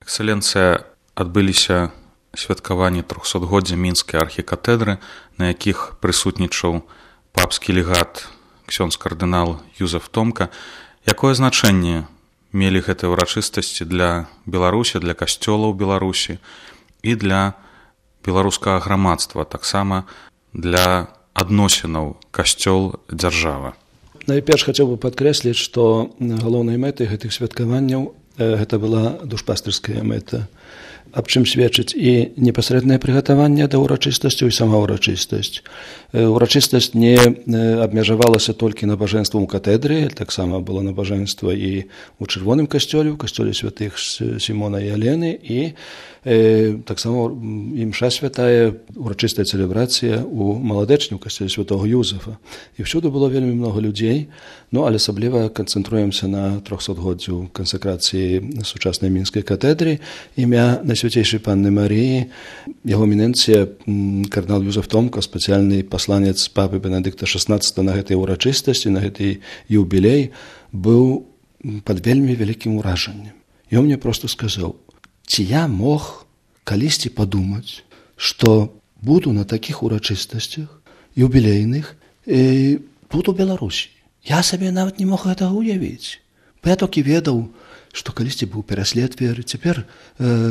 Эксцэленцыя, адбыліся святкаванні 300-годдзя мінскай архікатэдры, на якіх прысутнічаў папскі легат ксёндз кардынал Юзеф Томка. Якое значэнне мелі гэтыя ўрачыстасці для Беларусі, для касцёла ў Беларусі і для беларускага грамадства, таксама для адносінаў касцёл-дзяржава? Найперш хацеў бы падкрэсліць, што галоўнай мэтай гэтых святкаванняў гэта была душпастырская мэта, аб чым сведчыць і непасрэднае прыгатаванне да ўрачыстасцяў і сама ўрачыстасць. Урачыстасць не абмежавалася толькі набажэнствам у катэдры, таксама было набажэнства і ў чырвоным касцёле, у касцёле святых Сімона і Алены, і таксама імша святая, урачыстая цэлебрацыя у маладэчні, у касцёле святого Юзефа. І ўсюды было вельмі многа людзей, але асабліва канцэнтруемся на 300-годдзю кансакрацыі сучаснай мінскай катэдры, імя Найсвяцейшай Панны Марыі, яго эміненцыя кардынал Юзеф Томка, спецыяльны пасланец папы Бенедыкта XVI на гэтай урачыстасці, на гэтай юбілей, быў пад вельмі вялікім уражаннем. Ён мне проста сказаў: ці я мог калісьці падумаць, што буду на такіх урачыстасцях юбілейных тут у Беларусі. Я сабе нават не мог гэтага уявіць. Бо я толькі ведаў, што калісьці быў пераслед веры, цяпер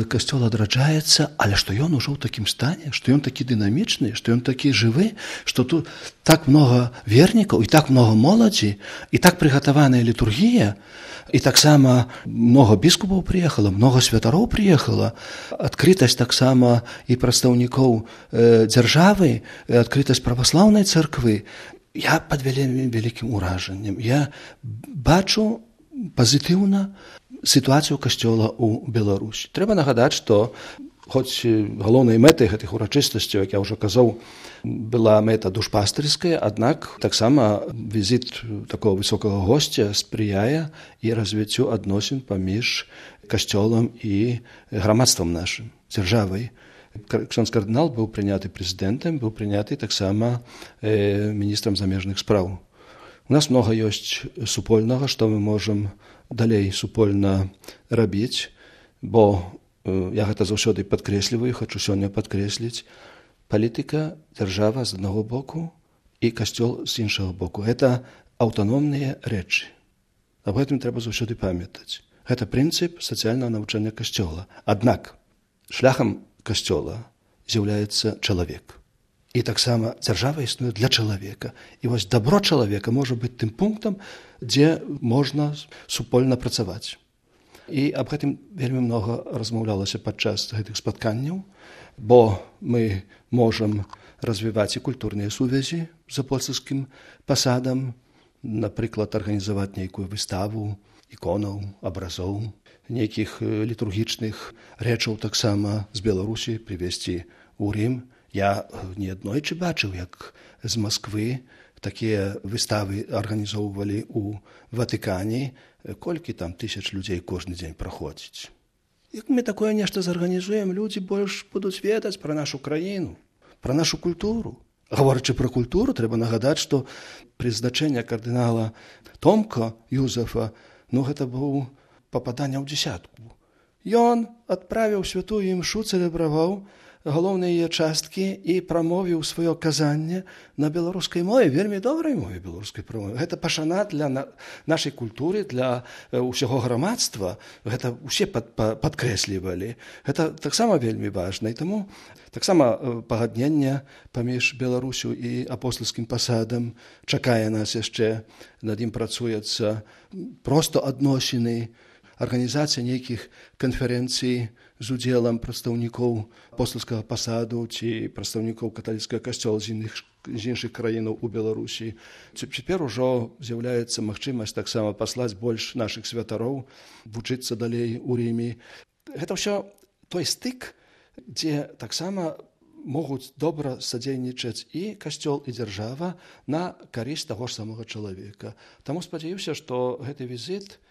касцёл адраджаецца, але што ён ужо ў такім стане, што ён такі дынамічны, што ён такі жывы, што тут так многа вернікаў і так многа моладзі, і так прыгатаваная літургія, і таксама многа біскупаў прыехала, многа святароў прыехала, адкрытасць таксама і прадстаўнікоў дзяржавы, адкрытасць праваслаўнай царквы. Я пад вельмі вялікім уражаннем. Я бачу пазітыўна сітуацыю касцёла ў Беларусі. Трэба нагадаць, што хоць галоўнай мэтай гэтых урачыстасцяў, як я ўжо казаў, была мэта душпастырская, аднак таксама візіт такого высокага госця спрыяе і развіццю адносін паміж касцёлам і грамадствам нашым, дзяржавай. Ксёндз кардынал быў прыняты прэзідэнтам, быў прыняты таксама міністрам замежных спраў. У нас многа ёсць супольнага, што мы можам далей супольна рабіць, бо я гэта заўсёды падкрэсліваю, хачу сёння падкрэсліць: палітыка, дзяржава з аднаго боку і касцёл з іншага боку. Гэта аўтаномныя рэчы. Аб гэтым трэба заўсёды памятаць. Гэта прынцып сацыяльнага навучання касцёла. Аднак шляхам касцёла з'яўляецца чалавек. І таксама дзяржава існуе для чалавека. І вось дабро чалавека можа быць тым пунктам, дзе можна супольна працаваць. І аб гэтым вельмі многа размаўлялася падчас гэтых спатканняў, бо мы можам развіваць і культурныя сувязі з апостальскім пасадам, напрыклад, арганізаваць нейкую выставу іконаў, абразоў, нейкіх літургічных рэчаў таксама з Беларусі прывезці ў Рым. Я неаднойчы бачыў, як з Масквы такія выставы арганізоўвалі ў Ватыкане, колькі там тысяч людзей кожны дзень праходзіць. Як мы такое нешта зарганізуем, людзі больш будуць ведаць пра нашу краіну, пра нашу культуру. Гаворачы пра культуру, трэба нагадаць, што прызначэнне кардынала Томка Юзефа, гэта быў пападанне ў дзесятку. Ён адправіў святую імшу, цэлебраваў галоўныя яе часткі і прамовіў сваё казанне на беларускай мове, вельмі добрай мове беларускай прамове. Гэта пашана для нашай культуры, для ўсяго грамадства. Гэта ўсе падкрэслівалі. Гэта таксама вельмі важна. І таму таксама пагадненне паміж Беларусю і апостальскім пасадам чакае нас яшчэ, над ім працуецца проста адносіны, арганізацыя нейкіх канферэнцый з удзелам прадстаўнікоў апостальскага пасаду ці прадстаўнікоў каталіцкага касцёла з іншых краінаў у Беларусі. Цяпер ужо з'яўляецца магчымасць таксама паслаць больш нашых святароў, вучыцца далей у Рыме. Гэта ўсё той стык, дзе таксама могуць добра садзейнічаць і касцёл, і дзяржава на карысць таго ж самога чалавека. Таму спадзяюся, што гэты візіт,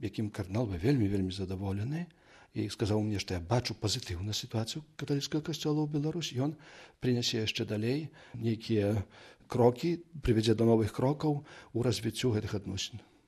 якім кардынал быў вельмі задаволены, і сказаў мне, што я бачу пазітыўную сітуацыю каталіцкага касцёла ў Беларусі, ён прынясе яшчэ далей нейкія крокі, прывядзе да новых крокаў у развіццю гэтых адносін.